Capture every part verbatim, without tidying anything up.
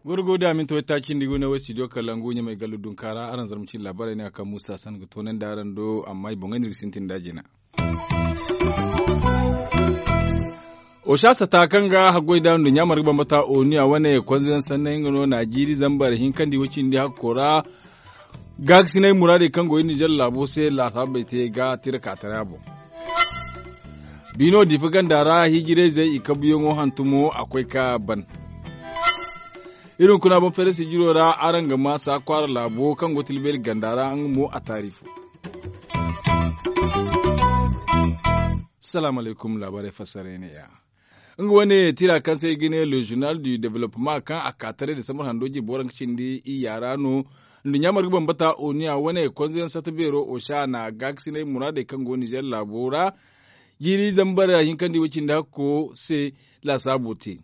Gorgo da minti waytaaci nda i go ne wo studio kalangu ɲamay gallu dunkaara araŋ zarma cine laabaarey no ya kaŋ muusa san ga toonandi araŋ do amma i boŋey no iri ga sintin nd'a jina. Osa sata kaŋ ga haggoy da nduɲɲa marga bambata oniya wane konzeyaŋ sanney nga no na jiiri zambar hinkandi way cindi hakko ra. Gaakasinay muraadey kaŋ go iri nizer laabo se laasaabey te ga tira ka tara boŋ. Biino diifa ganda ra hijirayzey i kabuyaŋo hantumo a koy ka ban. Iri hunkuna boŋ feere sijiro ra araŋ ga ma saakwaara laabo kaŋ go tilbeeri ganda ra nga mo a taari fo. Salaamu alaykum laabaarey fassaray ne ya. Nga wane tira kaŋ se i ga ne le journal du développement kaŋ a ka taray da sambar hando jirbi waranka cindi iyya ra no. Nduɲɲa marga bambata oniya wane konzeyaŋ sata beero osa na gaakasinay muraadey kaŋ go nizer laabo ra. Jiiri zambar hinkandi way cindi hakko se laasaabo te.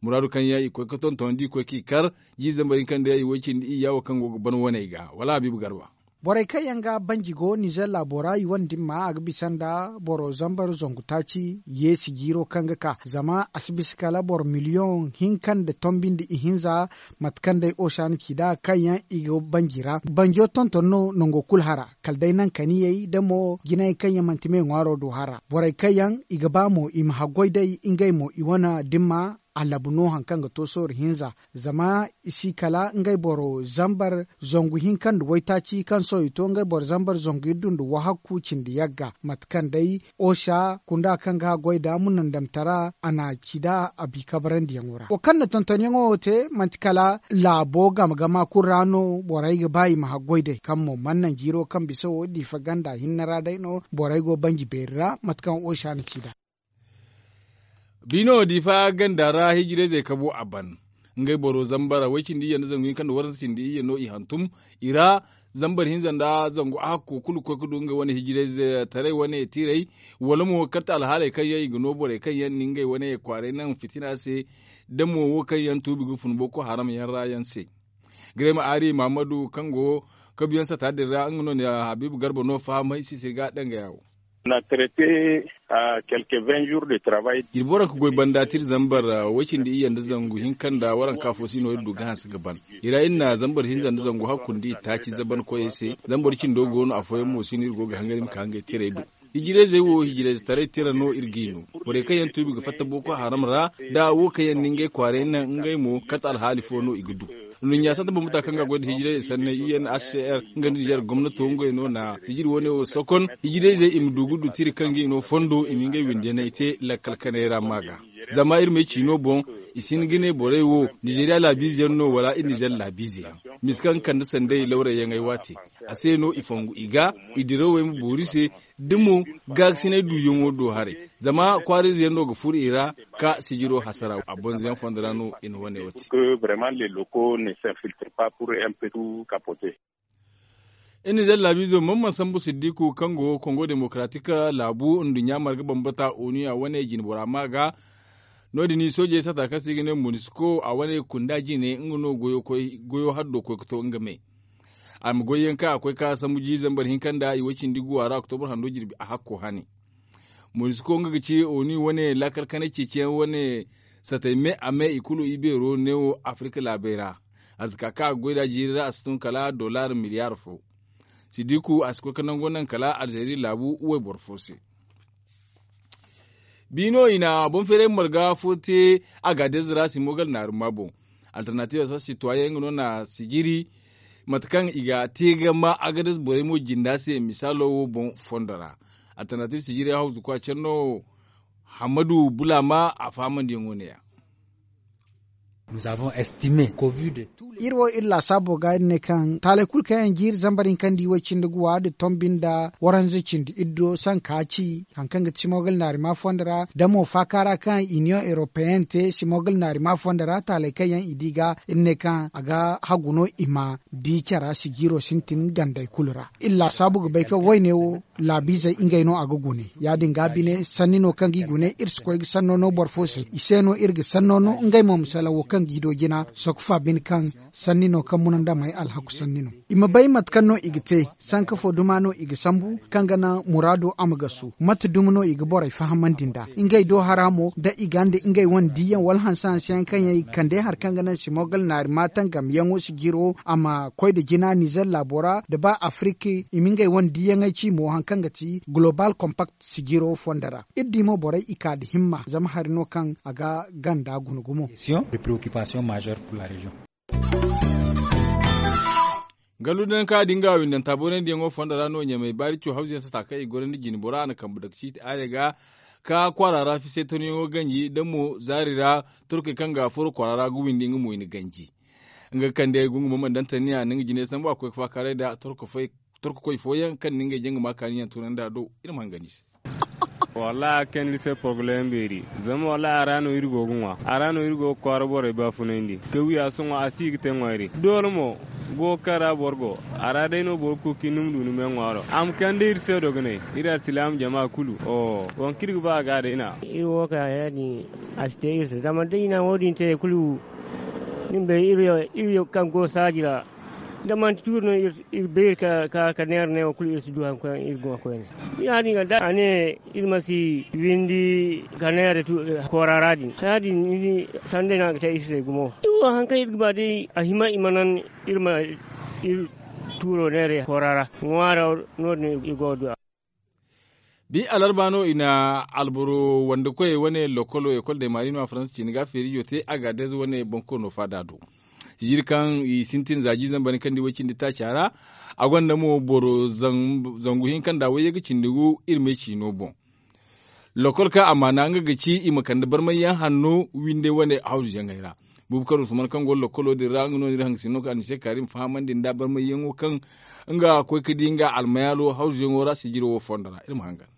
Muraadu kaŋ yaŋ i koy ga tonton da i koy k'i kar jiiri zambar hinkandi yaŋ i way cindi iyya wo kaŋ go ga ban waney ga wala habiibu garba. Borey kaŋ yaŋ ga banji go nizer laabo ra i wane dimma a ga bisa nda boro zambar zangu taaci yeesi jiiro kaŋ ga ka zama a si bisa kala boro miliyoŋ hinka nda tombi nda ihinza. Mate kaŋ day osa na ci nd'a kaŋ yaŋ i go banji ra banjo tonton no nango kulu hara kala day naŋ kaniyey da mo jinayey kaŋ yaŋ manti me ŋwaaro do hara borey kaŋ yaŋ i ga ba mo i ma haggoy day ngey mo i wane dimma. A labu no hari kaŋ ga to sooru hinza zama i si kala ngey boro zambar zangu hinka nda waytaaci kaŋ sohõ i to ngey boro zambar zangu iddu nda wahakku cindi yagga mate kaŋ day osa kunda kaŋ ga haggoy nda munandamtara a na ci nd'a a bi kabarandiyaŋo ra wo kaŋ na tontonyaŋo wo te manti kala laabo game gama kulu ra no borey ga ba i ma haggoy day kaŋ mo mana naŋ jiiro kaŋ bisa wo diifa ganda hinne ra day no borey go banji beeri ra mate kaŋ osa na ci nd'a. Biino diifa ganda ra hijirayzey kabu a ban ngey boro zambara way cindi iyye nda zangu hinka nda waranza cindi iyye no i hantum i ra. Zambar hinza nda zangu a hakko kulu ga koy ga du nga wane hijirayze taray wane tiray wala mo karte alhaaley kaŋ yaŋ i ga no borey kaŋ yaŋ na ngey wane kwaaray naŋ fitina se da mo wo kaŋ yaŋ tuubi ga fun boko haram yaŋ ra yaŋ se. Grema ari mahamadu kaŋ go kabuyaŋ sata din ra nga no na habiibu garba no fahamay sisiri ga dangaya wo. Na traite a quelque vingt jours de travail. Jirbi waranka goy banda tira zambar way cindi iyye nda zangu hinka nda waranka fo si no iri du ga hanse ga ban. I ra iri na zambar hinza nda zangu hakku nda i taaci zaban koyey se zambar cindo go no afooyaŋ mo si no iri go ga hangan i ma ka ngey tiray do. Hijirayzey wo hijirayze taray tira no iri g'i no. Borey kaŋ yaŋ tuubi ga fatta boko haram ra da wo kaŋ yaŋ na ngey kwaaray naŋ ngey mo kate alhaali fo no i ga du. Nduɲɲa sata bambata kaŋ ga goy nda hijirayze sanney i n h c r nga nda nizer gomnato ngey no na sijiri wane wo sokon hijirayzey i ma du ga du tira kaŋ g'i no fondo i ma ngey windiyaney te lakkal kanay ra ma ga. Zama iri m'ay ciino boŋ i si hin ga ne borey wo nizeriya laabiize yaŋ no wala iri nizer laabiize yaŋ. Misa kaŋ kande sanday lawray yaŋey waati a se no i fongu i ga i dirawey ma boori se da mo gaakasinay duuyaŋo do haray. Zama kwaarayze yaŋ no ga furo i ra ka sijiro hasara a bonza yaŋ fondo ra no i na wane wo te. Iri nizer laabiizo man man sambu siddiku kaŋ go kongo demokaraatik laabu nduɲɲa marga bambata oniya wane jinbora ma ga. No- din soojey sata kaŋ se i ga ne monisko a wane kunda jine nga no goyo haddo koy ga to nga me. A ma goy yaŋ kaŋ a koy ka sambu jiiri zambar hinka nda i way cindi guwa ra oktobur hando jirbi a hakko hane. Monisko nga ga ci oni wane laakal kanay ceeciyaŋ wane satay me a me i kulu i beero neewo afirika laabey ra. Arzaka kaŋ a ga goy nd'a jiiri ra a si tun kala dollar miliyar fo. Sidiku a si koy ga nango naŋ kala alzeeri laabu wayboro fo se. Biino i na boŋ feeray marga fo te a ga deeza ra simogal naaruma boŋ. Alternatiiv sitoyen nga no na sijiri mate kaŋ i ga te ga ma agades borey mo jinda se misaalo wo boŋ fondo ra. Alternatiiv sijiri hawzu kwa care no. Hammadu bulaama a fahamandiyaŋo ne- ya. Iri wo iri laasaabo ga iri ne kaŋ taaley kulu kaŋ yaŋ jiiri zambar hinka nda i way cindi guwa nda tombi nda waranza cindi iddo sanka ci hari kaŋ ga ti simogal naarima fondo ra da mo faaka ra kaŋ iniyoŋ europeyenne te simogal naarima fondo ra taaley kaŋ yaŋ i di ga iri ne kaŋ a ga hagu no i ma di cara sijiiro sintin gandey kulu ra. Iri laasaabu ga bay kaŋ wayne wo laabiizey ngey no a ga gune ya- din ga bine sanni no kaŋ ga i gune iri si koy ga sanno no boro fo se i se no iri ga sanno no ngey mo ma salaŋ wo kaŋ Ngi do jina sokofa bine kaŋ sanni no kaŋ munandamey alhaku sanni no. I ma bay mate kaŋ no i ga te sanka fo duma no i ga sambu kaŋ ga naŋ muraado a ma gasu mate dumi no i ga borey fahamandi nd'a ngey do hara mo da i ga nda ngey wane diiyaŋ wala hanse hanse yaŋ kaŋ yaŋ i ga kande hari kaŋ ga naŋ simogal naari ma tangamyaŋo sijiro a ma koy nda jina nizer laabo ra nda ba afirik i ma ngey wane diiyaŋey ci mo hari kaŋ ga ti golobaal kompakt sijiro fondo ra. Iri di mo borey i ka nda himma zama hari no kaŋ a ga ganda guna gumo. Gallu daŋ ka di nga windanta boonandiyaŋo fondo ra no ɲamey baari co hawziyaŋ sata kaŋ i gorandi jine bora a na kambe dake ciiti aare ga ka kwaara ra fiseetanyaŋo ganji da mo zaari ra torkey kaŋ ga furo kwaara ra ga windi nga mo i na ganji. Nga ga kande gungu mo mana daŋ tanniya na nga jinay sambu a koy ga faakaaray nda torko koy fooyaŋ kaŋ na ngey jaŋ ga ma kaaniyaŋ tunandi a do. Iri ma hangan i se. Wallahi a kande iri se porobalem beeri. Zama wallahi a ra no iri go ga ŋwa a ra no iri go ga kwaara borey baafunandi ka wi a sohõ a si ga te ŋwayri doole mo. Go kaŋ ra boro go a ra day no boro ga koy ka ni ma du ni me ŋwaaro a ma kande iri se dogonay. Iri alsilaama jama kulu oho waŋ kaŋ iri ga ba a ga day na. Iri wo ka ya- din a si te iri se zama da i na wo- din te kulu. Ni ma bay iri kaŋ go saaji ra da manti tuuri no iri bay iri ka ka neera neewo kulu iri si du hari kaŋ iri go ga koyne. Ya- din ga da a ne iri ma si windi ka neera koora ra din ya- din ni di sanda no a ga te iri se gumo. Iri wo hari kaŋ iri ga ba day a hima i ma naŋ iri ma iri tuuro neera koora ra ŋwaaro no- din i go ga du a. Bi alarba no i na alboro wande koyey wane lokolo ekol de maari no a faransa ciine ga feerijo te a ga dez wane bonkoono faada do. Sijiri kaŋ i sintin za jiizan bane kaŋ di way cindi taaca ra a gonda mo boro zangu hinka nda wayye ga cindi gu iri me ciino boŋ. Lokol kaŋ a maana nga ga ci i ma kande barmayyaŋ hanno winde wane hawzuyaŋey ra. Buubu kar usman kaŋ go lokolo din ra nga no ni iri hangasino kaŋ a ni se kaari ma fahamandi nda barmayyaŋo kaŋ nga koy ga di nga almayaalo hawzuyaŋo ra sijiro wo fondo ra iri ma hangan.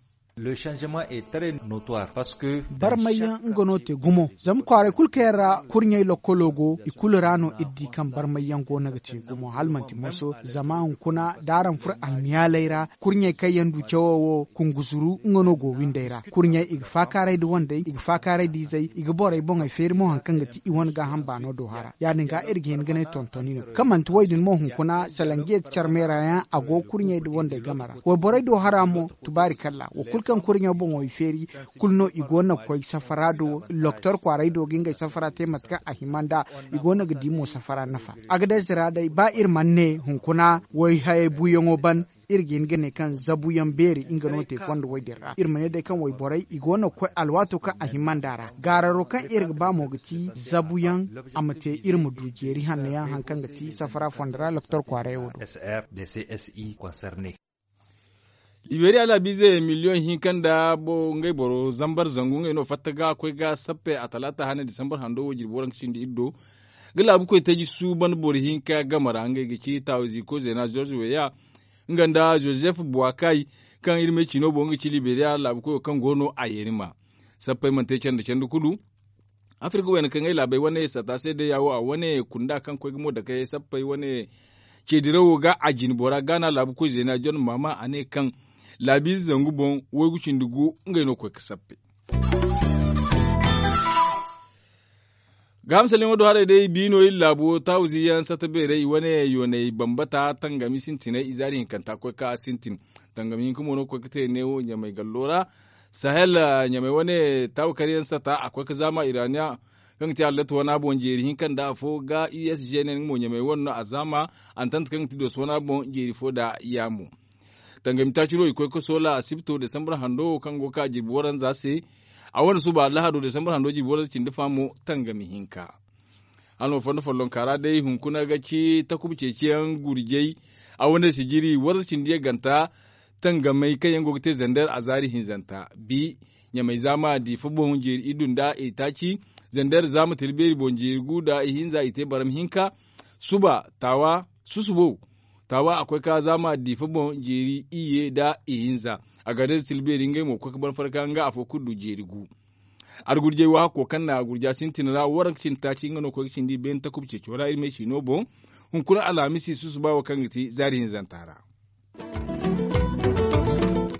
Barmayyaŋ nga no te gumo zama kwaaray kulu kaŋ yaŋ ra kurɲey lokkolo go i kulu ra no iri di kaŋ barmayyaŋ go no ga te gumo hala manti moso zama hunkuna da araŋ furo almiyaaley ra kurɲey kaŋ yaŋ du cawo wo kunguzuru nga no go windey ra kurɲey i ga faakaaray nda wandey i ga faakaaray nda izey i ga borey boŋey feeri mo hari kaŋ ga ti i wane gaaham baano do hara ya- din ga iri ga hin ga ne tontoni no kaŋ manti wo- din mo hunkuna salanjiye carmeera yaŋ a go kurɲey nda wandey game ra wayborey do hara mo. Tubaari kalla wo kulu kaŋ kurɲo boŋo i feeri kulu no i go no ga koy safara do loktor kwaaray do ga ngey safara te mate kaŋ a hima nd'a. I go no ga di mo safara nafa. Agadez ra day ba iri mana ne hunkuna wayhayey buuyaŋo ban iri ga hin ga ne kaŋ zabuyaŋ beeri nga no te fondo way din ra iri ma ne day kaŋ wayborey i go no ga koy alwaato kaŋ a hima nd'a ra gaararo kaŋ iri ga ba mo ga ti zabuyaŋ a ma te iri ma du jeeri hanno yaŋ hari kaŋ ga ti safara fondo ra loktor kwaaray wo do. Liberiya laabiize miliyoŋ hinka nda ngey boro zambar zangu ngey no fatta ga koy ga sappe a talaata hane disambar hando wo jirbi waranka cindi iri do ga laabu koy taji suuban boro hinka game ra ngey ga ci taawizi koy zeena zorze weya nga nda joseph buwakay kaŋ iri me ciino boŋ ga ci liberiya laabu koyo kaŋ go no a yeeri ma sappey mana te canda canda kulu. Afirka wayna kaŋ ay laabey wane sata se day ya wo a wane kunda kaŋ koy ga mo dake sappey wane ceedirawo ga a jine bora gaana laabu koy zeena john maama a ne kaŋ laabiize zangu boŋ waygu cindi gu ngey no koy ga sappe. Gaaham salyaŋo do haray day biino iri laabo taawuzi yaŋ sata beerey i wane yooney bambata tangami sintiney i zaari hinkanta koy ka sintin. Tangami hinka mo no koy ga te neewo ɲamey gallo ra sahel ɲamey wane taawu karyaŋ sata a koy ga zaama iraniya kaŋ ga te hallatu wana boŋ jeeri hinka nda afo ga usg ne nga mo ɲamey wane no a zaama. Antanta kaŋ ga te doso wana boŋ jeeri fo nda yaamo. Tangami taaci no i koy ga soola asibto desambur hando wo kaŋ go ga ka jirbi waranza se. A wane suba lahado desambur hando jirbi waranza cindi fa mo tangami hinka. Hala no fondo follonka ra day hunkuna ga ci takuba ceeciyaŋ gurjay a wane sijiri warza cindi yaŋ ganta. Tangamey kaŋ yaŋ go ga te zander a zaari hinzanta bi ɲamey zaama diifa boŋ jeeri iddu nda itaaci zander zaama tila beeri boŋ jeeri gu nda ihinza i te barama hinka. Suba taawa susubo taawa a koy ka zaama diifa boŋ jeeri iyye nda ihinza. Agadez tila beeri ngey mo ga koy ga ban farka nga afo kulu du jeeri gu. Argurjey wo hakko kaŋ na gurja sintin ra waranka cindi taaci nga no koy ga cindi beene takuba ceeco ra iri me ciino boŋ. Hunkuna alhamisi susuba wo kaŋ ga ti zaari hinzanta ra.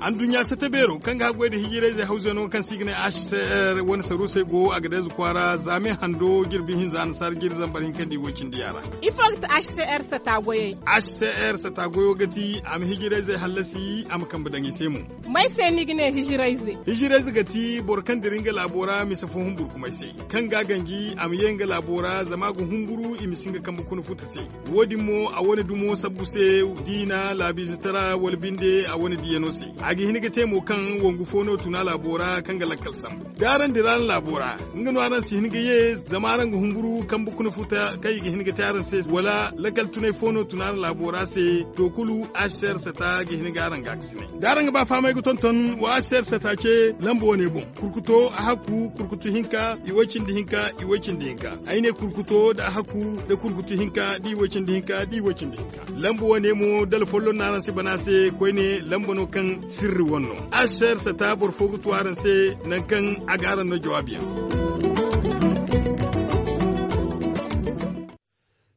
Anduɲɲa sata beero kaŋ ga haggoy nda hijirayzey hawzeno kaŋ se i ga ne h c r wane saruusey go a ga deeza kwaara zaame hando jirbi hinza nasaara jiri zambar hinkandi woy-cindi yaŋ ra. Ifo ga ti h c r sata goyey? H c r sata goyo ga ti a ma hijirayzey hallasi a ma kambe daŋ i se mo. May se ni ga ne hijirayze? Hijirayze ga ti boro kaŋ dira nga laabo ra mise fo humburkumay se, kaŋ ga a ganji a ma ye nga laabo ra zama a ga humburu i ma si nga kambe kuna futa se. Wo- din mo a wane dumo sabbu se, diina laabiizitara wala binde a wane diyano se. A ga hin ga te mo kaŋ wangu fo no tun a laabo ra kaŋ ga lakkal sambu da araŋ dira araŋ laabo ra, nga no araŋ si hin ga ye zama araŋ ga humburu kambe kuna futa kaŋ i ga hin ga te araŋ se wala lakkal tunay fo no tun araŋ laabo ra se. To kulu, h c r sata ga hin ga araŋ ga a ga si ne da araŋ ga ba fahamay ga tonton wa h c r sata ce lamba wane boŋ. Kurkuto a hakku kurkutu hinka i woy-cindi hinka i woy-cindi hinka. Ay ne kurkuto nda a hakku nda kurkutu hinka da i woy-cindi hinka da i woy-cindi hinka. Lamba wane mo dala folloŋ no araŋ si bana se koyne lamba no kaŋ sirri wane no. H c r sata boro fo ga tu araŋ se nangu kaŋ a ga araŋ no jawaabi yaŋ.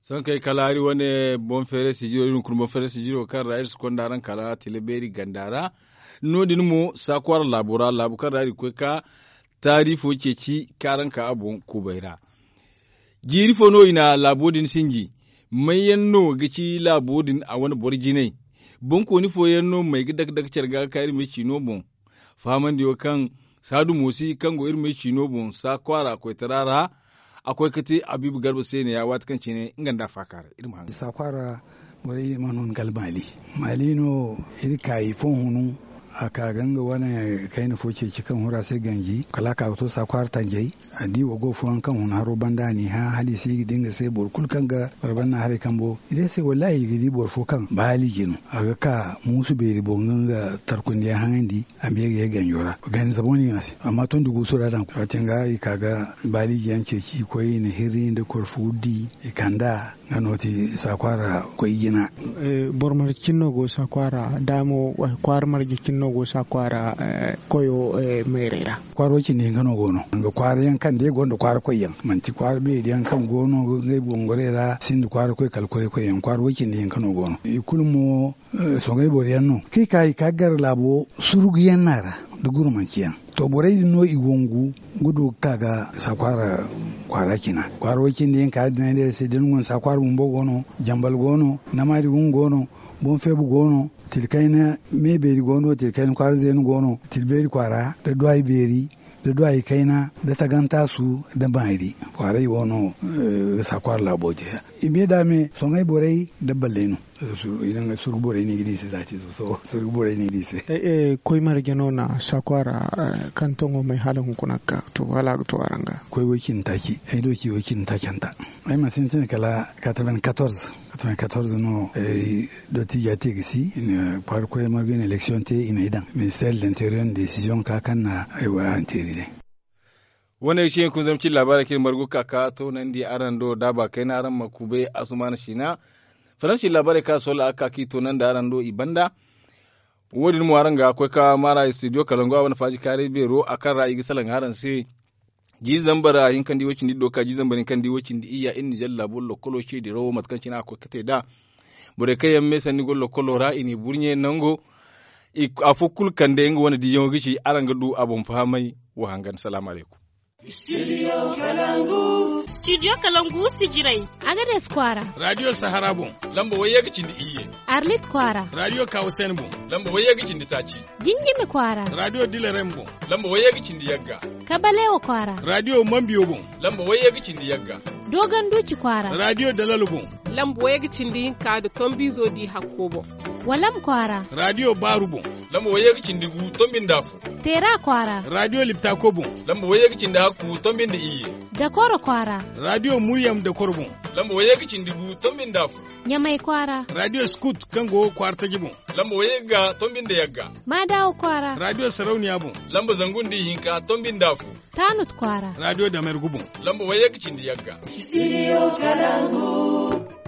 Sohõ kay kala hari wane boŋ feeray sijiro iri hunkuna boŋ feeray sijiro kaŋ ra iri si konda araŋ kala tila beeri ganda ra. No- din mo saakwaara laabo ra laabu kaŋ ra iri ga koy ka taari fo ceeci kaŋ araŋ ka a boŋ kubay ra. Jiiri fo no i na laabo din sinji? May yaŋ no ga ci laabo din a wane boro jinay? Boŋkooni fooyaŋ no may ga dake dake care ga ga ka iri ma ay ciino boŋ. Fahamandiyo kaŋ saadu moosi kaŋ go iri ma ay ciino boŋ saakwaara koytara ra. A koy ga te abiibu garba se ne ya waati kaŋ cine nga nda a faakaaray iri ma haŋ. Saakwaara borey mana hun kala maali. Maali no iri ka i fo hunu. A ka ga nga wane kayna fo ceeci kaŋ huru a se ganji kala a ka ga to saakwaara tanjay. A di wa go fooyaŋ kaŋ hun haro banda a n'i hã hala i si ga di nga se boro kulu kaŋ ga boro banda haray kambo i di a se wallaahi i ga di boro fo kaŋ baali jino. A ga ka muusu beeri boŋ ga nga tarkundiyaŋ haŋandi. A ma ye ga ye ganjo ra ganza boŋ no i ga no a se amma tondi guusu ra daŋ waati nga i ka ga baali jiyaŋ ceeci i koy i na hirri nda korfu wuddi i kand'a. Nga no ti saakwaara koy jina. Boro marje cine no go saakwaara da mo kwaara marje cine no go saakwaara koyo mayray ra. Kwaara way cindi hinka no go no nga kwaara yaŋ kaŋ day gonda kwaara koy yaŋ manti kwaara beeri yaŋ kaŋ go no ngey bongoray ra sinda kwaara koy kala kwaara koy yaŋ kwaara way cindi hinka no go no i kulu mo. Soŋay boro yaŋ no kaŋ i ka i ka gar laabo surugu yaŋ no a ra nda gurmanci yaŋ. To borey din no i wangu ga du ga ka ga saakwaara kwaara cina kwaara way cindi yaŋ ka din ay ne ay se da ni go ni saakwaara bumbo go no. Jambal go no. Namaadi gungu go no. Boŋ feebu go no. Tila kayna me beeri go no tila kayna kwaara zeenu go no tila beeri kwaara nda duwaayi beeri nda duwaayi kayna nda tagantaasu nda maari. Kwaaray wo no ga saakwaara laabo te. I me da me soŋay borey nda balley no. Surgu borey no i ga di i se zaati zo sohõ surgu borey no i ga di i se. Koy marje no na saakwaara kaŋ toŋo may hala hunkuna ga ka to hala a ga to araŋ ga. Koy way cindi taaci ay do ci way cindi taacanta. Ay mana sintin kala quatre-vingt-quatorze. Quatre-vingt-quatorze no. Dottija te ga si i na kwaara koy marga i na election te i na ay daŋ ministère de l'interieur na décision ka kaŋ na ay wo araŋ teeri day. Wane ga ci yaŋ kunzam cine laabaarey kaŋ iri margu ga ka ka toonandi araŋ do daaba kayna araŋ ma kubay asumaana siina. Faransi laabaarey kaŋ a soola a ga ka kaŋ i toonandi araŋ do i banda. Wo- din mo araŋ ga koy ka maara studio kalangu a wane faaji kaaray beero a kaŋ ra i ga salaŋ araŋ se. Jiiri zambar hinkandi way-cindi iddo ka jiiri zambar hinkandi way-cindi iyya iri nizer laabo lokkolo ce dirawo mate kaŋ cine a ga koy ga te nd'a. Borey kaŋ yaŋ me sanni go lokkolo ra i n'i burɲe nango. Afo kulu kande nga wane diiyaŋo ga ci araŋ ga du a boŋ fahamay. Wa hangan salaamu alaykum. Studio kalangu sijirey. Agades kwaara. Radio sahara boŋ. Lamba wayye ga cindi iyye. Arlit kwaara. Radio kawasen boŋ. Lamba wayye ga cindi taaci. Jinjimi kwaara. Radio dilerem boŋ. Lamba wayye ga cindi yagga. Kabalewa kwaara. Radio mambiyo boŋ. Lamba wayye ga cindi yagga. Dogon duuci kwaara. Radio dalalo boŋ. Lamba wayye ga cindi hinka nda tombiizo di hakko boŋ. Walam kwaara. Radio baaru boŋ. Lamba wayye ga cindi gu tombi nda afo. Teera kwaara. Radio liptako boŋ. Lamba wayye ga cindi hakku tombi nda iyye. Dakoro kwaara. Radio muryam dakoro boŋ. Lamba wayye ga cindi gu tombi nda afo. Ɲamay kwaara. Radio skut kaŋ go kwaara taji boŋ. Lamba wayye ga tombi nda yagga. Maadawa kwaara. Radio sarauniya boŋ. Lamba zangu nda ihinka tombi nda afo. Tanut kwaara. Radio damergu boŋ. Lamba wayye ga cindi yagga. Studio kalangu.